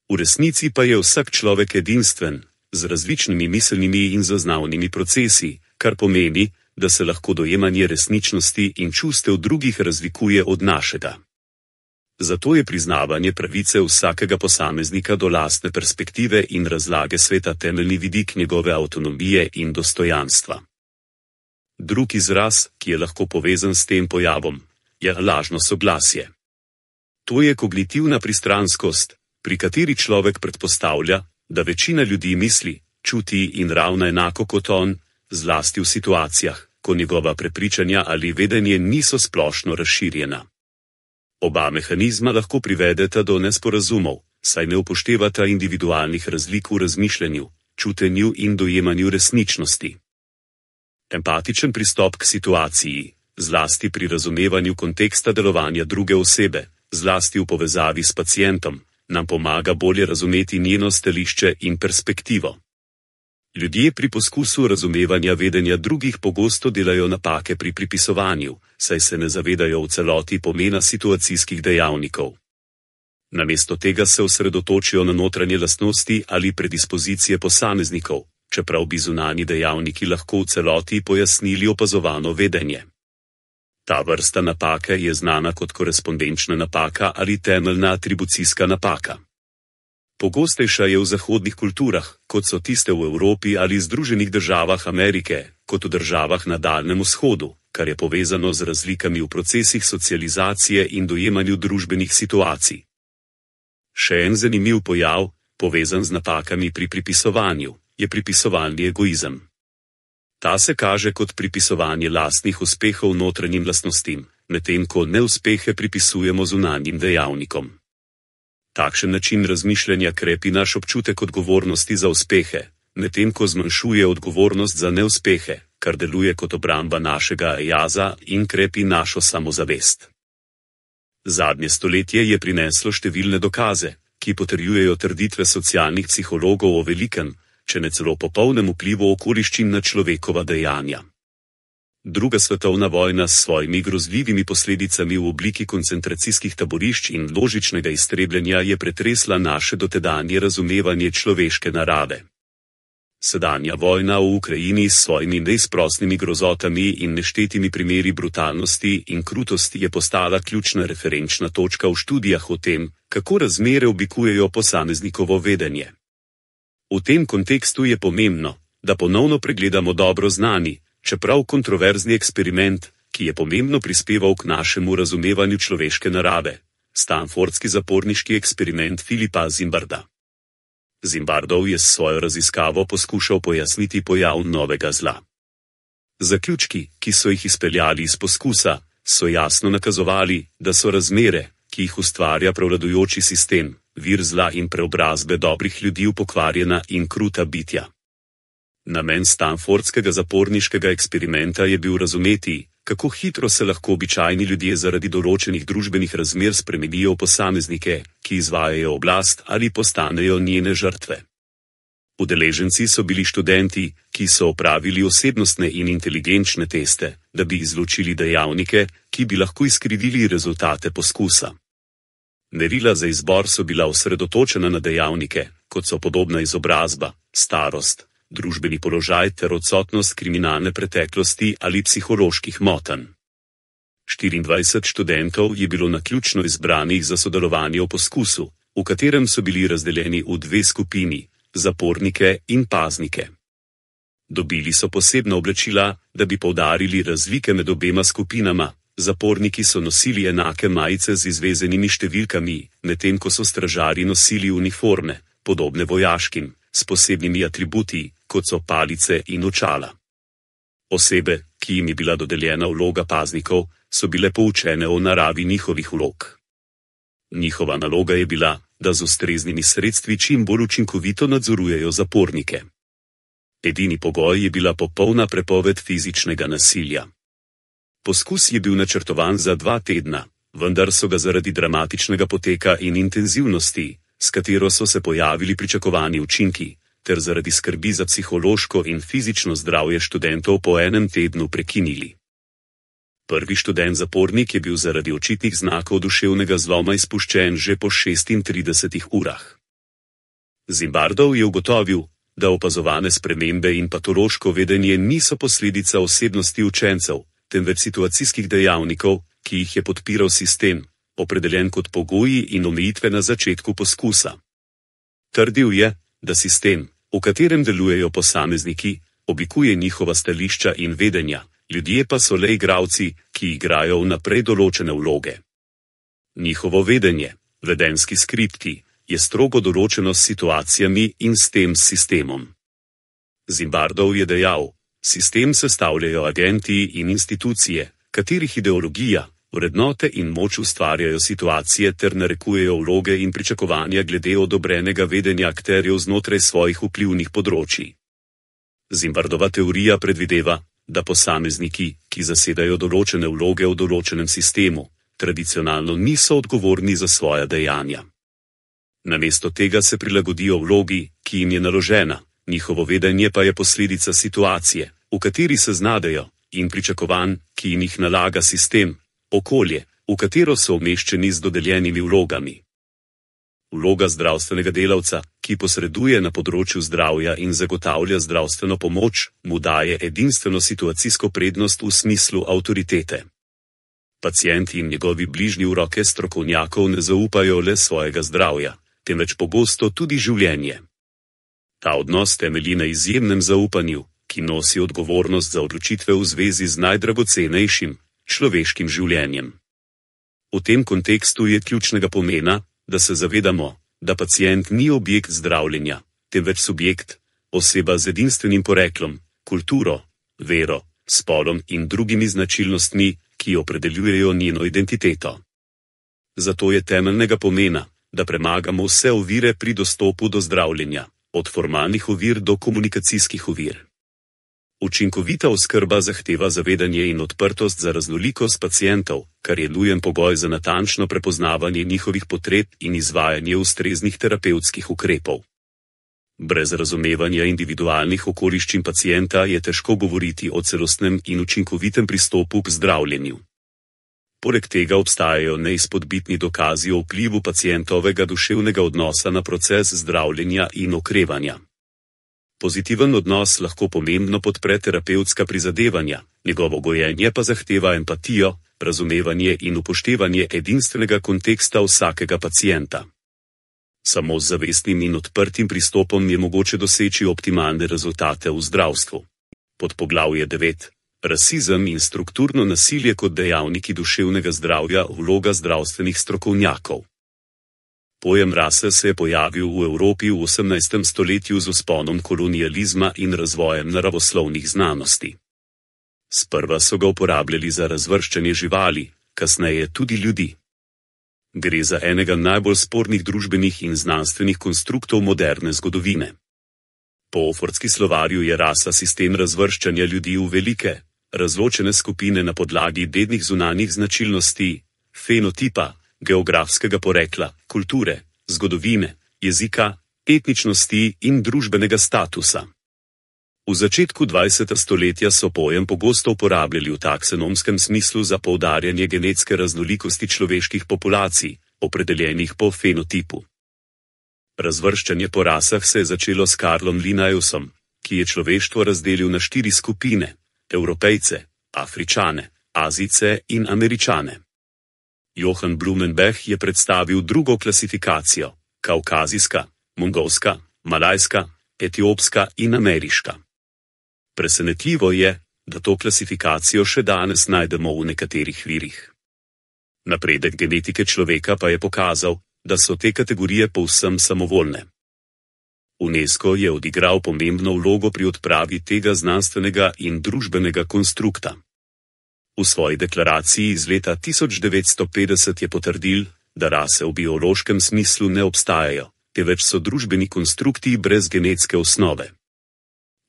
V resnici pa je vsak človek edinstven, z različnimi miselnimi in zaznavnimi procesi, kar pomeni, da se lahko dojemanje resničnosti in čustev drugih razlikuje od našega. Zato je priznavanje pravice vsakega posameznika do lastne perspektive in razlage sveta temeljni vidik njegove avtonomije in dostojanstva. Drug izraz, ki je lahko povezan s tem pojavom, je lažno soglasje. To je kognitivna pristranskost, pri kateri človek predpostavlja, da večina ljudi misli, čuti in ravna enako kot on, zlasti v situacijah, ko njegova prepričanja ali vedenje niso splošno razširjena. Oba mehanizma lahko privedeta do nesporazumov, saj ne upoštevata individualnih razlik v razmišljanju, čutenju in dojemanju resničnosti. Empatičen pristop k situaciji, zlasti pri razumevanju konteksta delovanja druge osebe, zlasti v povezavi s pacientom, nam pomaga bolje razumeti njeno stališče in perspektivo. Ljudje pri poskusu razumevanja vedenja drugih pogosto delajo napake pri pripisovanju, saj se ne zavedajo v celoti pomena situacijskih dejavnikov. Namesto tega se osredotočijo na notranje lastnosti ali predispozicije posameznikov, čeprav bi zunanji dejavniki lahko v celoti pojasnili opazovano vedenje. Ta vrsta napake je znana kot korespondenčna napaka ali temeljna atribucijska napaka. Pogostejša je v zahodnih kulturah, kot so tiste v Evropi ali Združenih državah Amerike, kot v državah na Daljnem vzhodu, kar je povezano z razlikami v procesih socializacije in dojemanju družbenih situacij. Še en zanimiv pojav, povezan z napakami pri pripisovanju, je pripisovalni egoizem. Ta se kaže kot pripisovanje lastnih uspehov notranjim lastnostim, medtem ko neuspehe pripisujemo zunanjim dejavnikom. Takšen način razmišljanja krepi naš občutek odgovornosti za uspehe, medtem ko zmanjšuje odgovornost za neuspehe, kar deluje kot obramba našega jaza in krepi našo samozavest. Zadnje stoletje je prineslo številne dokaze, ki potrjujejo trditve socialnih psihologov o velikem, če ne celo popolnem vplivu okoliščin na človekova dejanja. Druga svetovna vojna s svojimi grozljivimi posledicami v obliki koncentracijskih taborišč in množičnega iztrebljanja je pretresla naše dotedanje razumevanje človeške narave. Sedanja vojna v Ukrajini s svojimi neizprosnimi grozotami in neštetimi primeri brutalnosti in krutosti je postala ključna referenčna točka v študijah o tem, kako razmere oblikujejo posameznikovo vedenje. V tem kontekstu je pomembno, da ponovno pregledamo dobro znani, čeprav kontroverzni eksperiment, ki je pomembno prispeval k našemu razumevanju človeške narave, stanfordski zaporniški eksperiment Philipa Zimbarda. Zimbardov je s svojo raziskavo poskušal pojasniti pojav novega zla. Zaključki, ki so jih izpeljali iz poskusa, so jasno nakazovali, da so razmere, ki jih ustvarja prevladujoči sistem, vir zla in preobrazbe dobrih ljudi v pokvarjena in kruta bitja. Namen stanfordskega zaporniškega eksperimenta je bil razumeti, kako hitro se lahko običajni ljudje zaradi določenih družbenih razmer spremenijo v posameznike, ki izvajajo oblast ali postanejo njene žrtve. Udeleženci so bili študenti, ki so opravili osebnostne in inteligenčne teste, da bi izločili dejavnike, ki bi lahko izkrivili rezultate poskusa. Merila za izbor so bila osredotočena na dejavnike, kot so podobna izobrazba, starost, družbeni položaj ter odsotnost kriminalne preteklosti ali psiholoških motenj. štiriindvajset študentov je bilo naključno izbranih za sodelovanje v poskusu, v katerem so bili razdeljeni v dve skupini, zapornike in paznike. Dobili so posebna oblačila, da bi poudarili razlike med obema skupinama. Zaporniki so nosili enake majice z izvezenimi številkami, medtem ko so stražarji nosili uniforme, podobne vojaškim, s posebnimi atributi, kot so palice in očala. Osebe, ki jim je bila dodeljena vloga paznikov, so bile poučene o naravi njihovih vlog. Njihova naloga je bila, da z ustreznimi sredstvi čim bolj učinkovito nadzorujejo zapornike. Edini pogoj je bila popolna prepoved fizičnega nasilja. Poskus je bil načrtovan za dva tedna, vendar so ga zaradi dramatičnega poteka in intenzivnosti, s katero so se pojavili pričakovani učinki, ter zaradi skrbi za psihološko in fizično zdravje študentov po enem tednu prekinili. Prvi študent zapornik je bil zaradi očitnih znakov duševnega zloma izpuščen že po šestintridesetih urah. Zimbardov je ugotovil, da opazovane spremembe in patološko vedenje niso posledica osebnosti učencev, temveč situacijskih dejavnikov, ki jih je podpiral sistem, opredeljen kot pogoji in omejitve na začetku poskusa. Trdil je, da sistem, v katerem delujejo posamezniki, oblikuje njihova stališča in vedenja, ljudje pa so le igralci, ki igrajo vnaprej določene vloge. Njihovo vedenje, vedenski skripti, je strogo določeno s situacijami in s tem sistemom. Zimbardov je dejal, sistem sestavljajo agenti in institucije, katerih ideologija, vrednote in moč ustvarjajo situacije ter narekujejo vloge in pričakovanja glede odobrenega vedenja akterjev znotraj svojih vplivnih področij. Zimbardova teorija predvideva, da posamezniki, ki zasedajo določene vloge v določenem sistemu, tradicionalno niso odgovorni za svoja dejanja. Namesto tega se prilagodijo vlogi, ki jim je naložena, njihovo vedenje pa je posledica situacije, v kateri se znajdejo, in pričakovanj, ki jim jih nalaga sistem, okolje, v katero so umeščeni z dodeljenimi vlogami. Vloga zdravstvenega delavca, ki posreduje na področju zdravja in zagotavlja zdravstveno pomoč, mu daje edinstveno situacijsko prednost v smislu avtoritete. Pacienti in njegovi bližnji v roke strokovnjakov ne zaupajo le svojega zdravja, temveč pogosto tudi življenje. Ta odnos temelji na izjemnem zaupanju, ki nosi odgovornost za odločitve v zvezi z najdragocenejšim, človeškim življenjem. V tem kontekstu je ključnega pomena, da se zavedamo, da pacient ni objekt zdravljenja, temveč subjekt, oseba z edinstvenim poreklom, kulturo, vero, spolom in drugimi značilnostmi, ki opredeljujejo njeno identiteto. Zato je temeljnega pomena, da premagamo vse ovire pri dostopu do zdravljenja, od formalnih ovir do komunikacijskih ovir. Učinkovita oskrba zahteva zavedanje in odprtost za raznolikost pacientov, kar je nujen pogoj za natančno prepoznavanje njihovih potreb in izvajanje ustreznih terapevtskih ukrepov. Brez razumevanja individualnih okoliščin pacienta je težko govoriti o celostnem in učinkovitem pristopu k zdravljenju. Poleg tega obstajajo neizpodbitni dokazi o vplivu pacientovega duševnega odnosa na proces zdravljenja in okrevanja. Pozitiven odnos lahko pomembno podpre terapevtska prizadevanja, njegovo gojenje pa zahteva empatijo, razumevanje in upoštevanje edinstvenega konteksta vsakega pacienta. Samo z zavestnim in odprtim pristopom je mogoče doseči optimalne rezultate v zdravstvu. Podpoglavje devet. Rasizem in strukturno nasilje kot dejavniki duševnega zdravja, vloga zdravstvenih strokovnjakov. Pojem rase se je pojavil v Evropi v osemnajstem stoletju z vzponom kolonializma in razvojem naravoslovnih znanosti. Sprva so ga uporabljali za razvrščanje živali, kasneje tudi ljudi. Gre za enega najbolj spornih družbenih in znanstvenih konstruktov moderne zgodovine. Po Oxfordski slovarju je rasa sistem razvrščanja ljudi v velike, razločene skupine na podlagi dednih zunanjih značilnosti, fenotipa, geografskega porekla, kulture, zgodovine, jezika, etničnosti in družbenega statusa. V začetku dvajsetega stoletja so pojem pogosto uporabljali v taksonomskem smislu za poudarjanje genetske raznolikosti človeških populacij, opredeljenih po fenotipu. Razvrščanje po rasah se je začelo s Karlom Linnaeusom, ki je človeštvo razdelil na štiri skupine: Evropejce, Afričane, Azijce in Američane. Johann Blumenbach je predstavil drugo klasifikacijo: kaukazijska, mongolska, malajska, etiopska in ameriška. Presenetljivo je, da to klasifikacijo še danes najdemo v nekaterih virih. Napredek genetike človeka pa je pokazal, da so te kategorije povsem samovoljne. UNESCO je odigral pomembno vlogo pri odpravi tega znanstvenega in družbenega konstrukta. V svoji deklaraciji iz leta tisoč devetsto petdeset je potrdil, da rase v biološkem smislu ne obstajajo, temveč so družbeni konstrukti brez genetske osnove.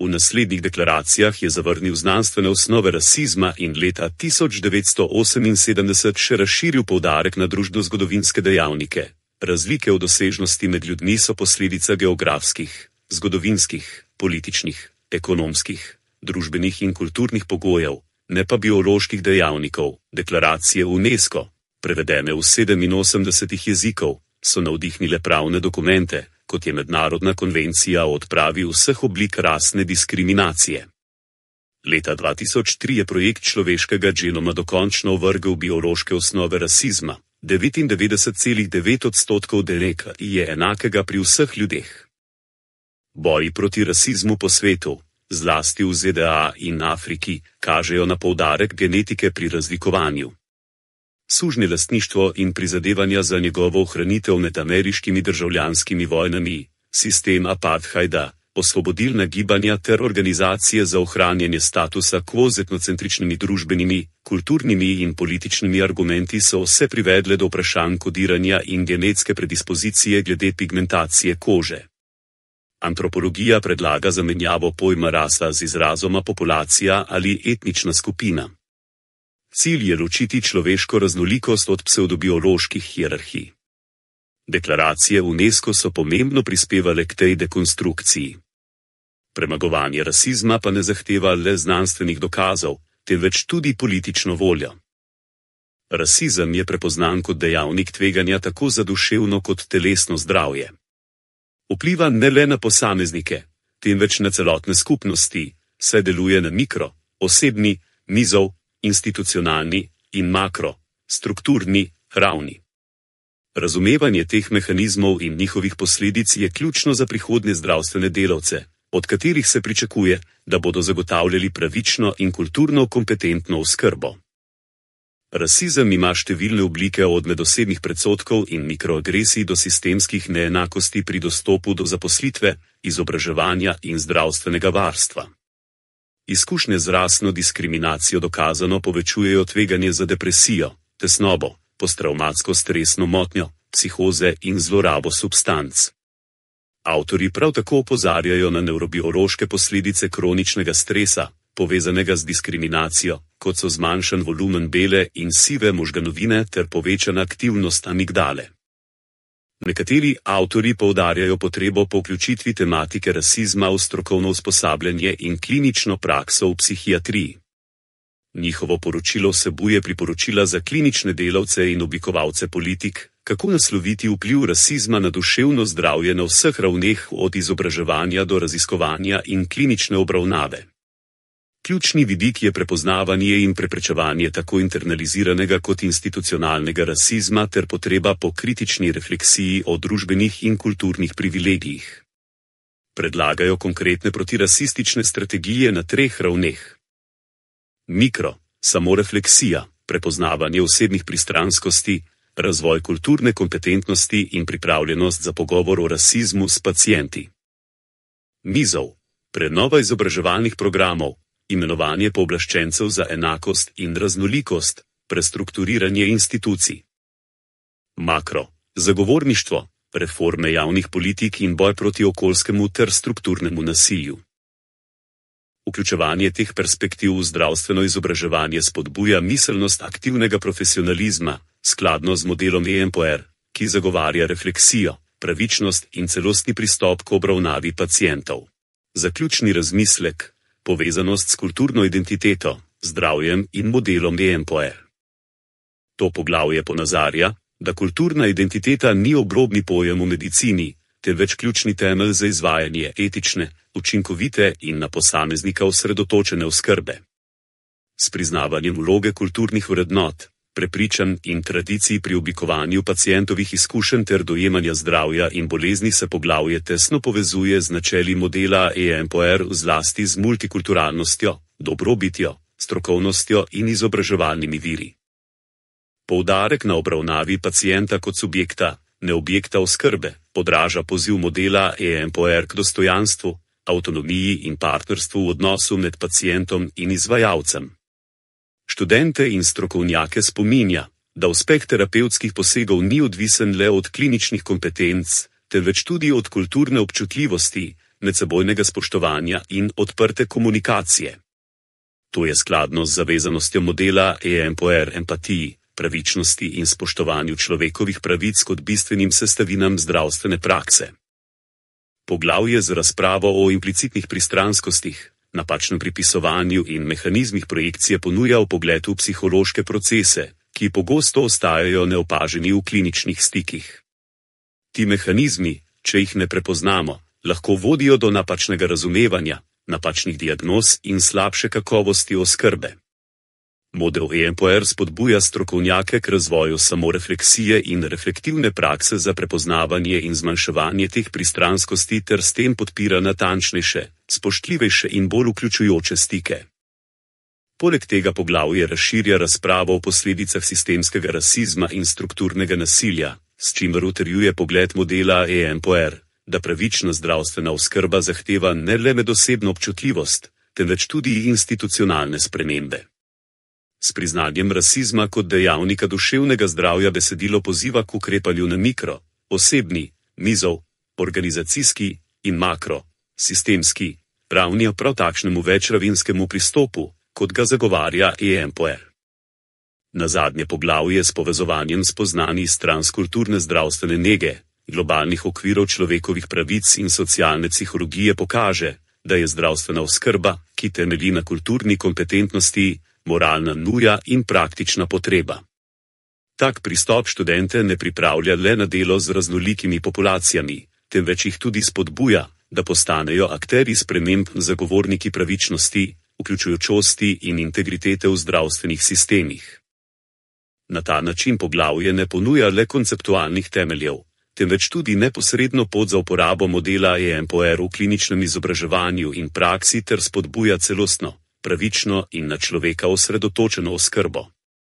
V naslednjih deklaracijah je zavrnil znanstvene osnove rasizma in leta tisoč devetsto oseminsedemdeset še razširil poudarek na družbeno-zgodovinske dejavnike. Razlike v dosežnosti med ljudmi so posledica geografskih, zgodovinskih, političnih, ekonomskih, družbenih in kulturnih pogojev, ne pa bioloških dejavnikov. Deklaracije UNESCO, prevedene v sedeminosemdesetih jezikov, so navdihnile pravne dokumente, kot je Mednarodna konvencija o odpravi vseh oblik rasne diskriminacije. Leta dva tisoč tri je projekt človeškega genoma dokončno ovrgel biološke osnove rasizma. devetindevetdeset celih devet odstotkov D N A je enakega pri vseh ljudeh. Boji proti rasizmu po svetu, zlasti v Z D A in Afriki, kažejo na poudarek genetike pri razlikovanju. Sužnje lastništvo in prizadevanja za njegovo ohranitev med ameriškimi državljanskimi vojnami, sistem apartheida, osvobodilna gibanja ter organizacije za ohranjanje statusa quo z etnocentričnimi družbenimi, kulturnimi in političnimi argumenti so vse privedle do vprašanj kodiranja in genetske predispozicije glede pigmentacije kože. Antropologija predlaga zamenjavo pojma rasa z izrazoma populacija ali etnična skupina. Cilj je ločiti človeško raznolikost od psevdobioloških hierarhij. Deklaracije UNESCO so pomembno prispevale k tej dekonstrukciji. Premagovanje rasizma pa ne zahteva le znanstvenih dokazov, temveč tudi politično voljo. Rasizem je prepoznan kot dejavnik tveganja tako za duševno kot telesno zdravje. Vpliva ne le na posameznike, temveč na celotne skupnosti, saj deluje na mikro, osebni, nizov, institucionalni in makro, strukturni ravni. Razumevanje teh mehanizmov in njihovih posledic je ključno za prihodnje zdravstvene delavce, od katerih se pričakuje, da bodo zagotavljali pravično in kulturno kompetentno oskrbo. Rasizem ima številne oblike od medosebnih predsodkov in mikroagresij do sistemskih neenakosti pri dostopu do zaposlitve, izobraževanja in zdravstvenega varstva. Izkušnje z rasno diskriminacijo dokazano povečujejo tveganje za depresijo, tesnobo, postravmatsko stresno motnjo, psihoze in zlorabo substanc. Avtorji prav tako opozarjajo na nevrobiološke posledice kroničnega stresa, povezanega z diskriminacijo, kot so zmanjšan volumen bele in sive možganovine ter povečana aktivnost amigdale. Nekateri avtorji poudarjajo potrebo po vključitvi tematike rasizma v strokovno usposabljanje in klinično prakso v psihiatriji. Njihovo poročilo vsebuje priporočila za klinične delavce in oblikovalce politik, kako nasloviti vpliv rasizma na duševno zdravje na vseh ravneh od izobraževanja do raziskovanja in klinične obravnave. Ključni vidik je prepoznavanje in preprečevanje tako internaliziranega kot institucionalnega rasizma ter potreba po kritični refleksiji o družbenih in kulturnih privilegijih. Predlagajo konkretne protirasistične strategije na treh ravneh. Mikro, samorefleksija, prepoznavanje osebnih pristranskosti, razvoj kulturne kompetentnosti in pripravljenost za pogovor o rasizmu s pacienti. Mizov, prenova izobraževalnih programov, imenovanje pooblaščencev za enakost in raznolikost, prestrukturiranje institucij. Makro, zagovorništvo, reforme javnih politik in boj proti okoljskemu ter strukturnemu nasilju. Vključevanje teh perspektiv v zdravstveno izobraževanje spodbuja miselnost aktivnega profesionalizma, skladno z modelom E M P O R, ki zagovarja refleksijo, pravičnost in celostni pristop k obravnavi pacientov. Zaključni razmislek, povezanost s kulturno identiteto, zdravjem in modelom E M P O R. To poglavje ponazarja, da kulturna identiteta ni obrobni pojem v medicini, temveč ključni temelj za izvajanje etične, učinkovite in na posameznika osredotočene oskrbe. S priznavanjem vloge kulturnih vrednot, prepričanj in tradicij pri oblikovanju pacientovih izkušenj ter dojemanja zdravja in bolezni se poglavje tesno povezuje z načeli modela E M P O R, zlasti z multikulturalnostjo, dobrobitjo, strokovnostjo in izobraževalnimi viri. Poudarek na obravnavi pacienta kot subjekta, ne objekta oskrbe, odraža poziv modela E M P O R k dostojanstvu, avtonomiji in partnerstvu v odnosu med pacientom in izvajalcem. Študente in strokovnjake spominja, da uspeh terapevtskih posegov ni odvisen le od kliničnih kompetenc, temveč tudi od kulturne občutljivosti, medsebojnega spoštovanja in odprte komunikacije. To je skladno z zavezanostjo modela E M P O R empatiji, pravičnosti in spoštovanju človekovih pravic kot bistvenim sestavinam zdravstvene prakse. Poglavje z razpravo o implicitnih pristranskostih, napačnem pripisovanju in mehanizmih projekcije ponuja vpogled v psihološke procese, ki pogosto ostajajo neopaženi v kliničnih stikih. Ti mehanizmi, če jih ne prepoznamo, lahko vodijo do napačnega razumevanja, napačnih diagnoz in slabše kakovosti oskrbe. Model E M P O R spodbuja strokovnjake k razvoju samorefleksije in reflektivne prakse za prepoznavanje in zmanjševanje teh pristranskosti ter s tem podpira natančnejše, spoštljivejše in bolj vključujoče stike. Poleg tega poglavje razširja razpravo o posledicah sistemskega rasizma in strukturnega nasilja, s čimer utrjuje pogled modela E M P O R, da pravična zdravstvena oskrba zahteva ne le medosebno občutljivost, temveč tudi institucionalne spremembe. S priznanjem rasizma kot dejavnika duševnega zdravja besedilo poziva k ukrepanju na mikro, osebni, nizov, organizacijski in makro, sistemski, ravni prav takšnemu večravinskemu pristopu, kot ga zagovarja E M P O R. Nazadnje poglavje s povezovanjem spoznanj iz transkulturne zdravstvene nege, globalnih okvirov človekovih pravic in socialne psihologije pokaže, da je zdravstvena oskrba, ki temelji na kulturni kompetentnosti, moralna nuja in praktična potreba. Tak pristop študente ne pripravlja le na delo z raznolikimi populacijami, temveč jih tudi spodbuja, da postanejo akterji sprememb, zagovorniki pravičnosti, vključujočosti in integritete v zdravstvenih sistemih. Na ta način poglavje ne ponuja le konceptualnih temeljev, temveč tudi neposredno pot za uporabo modela E M P O R v kliničnem izobraževanju in praksi ter spodbuja celostno, pravično in na človeka osredotočeno oskrbo.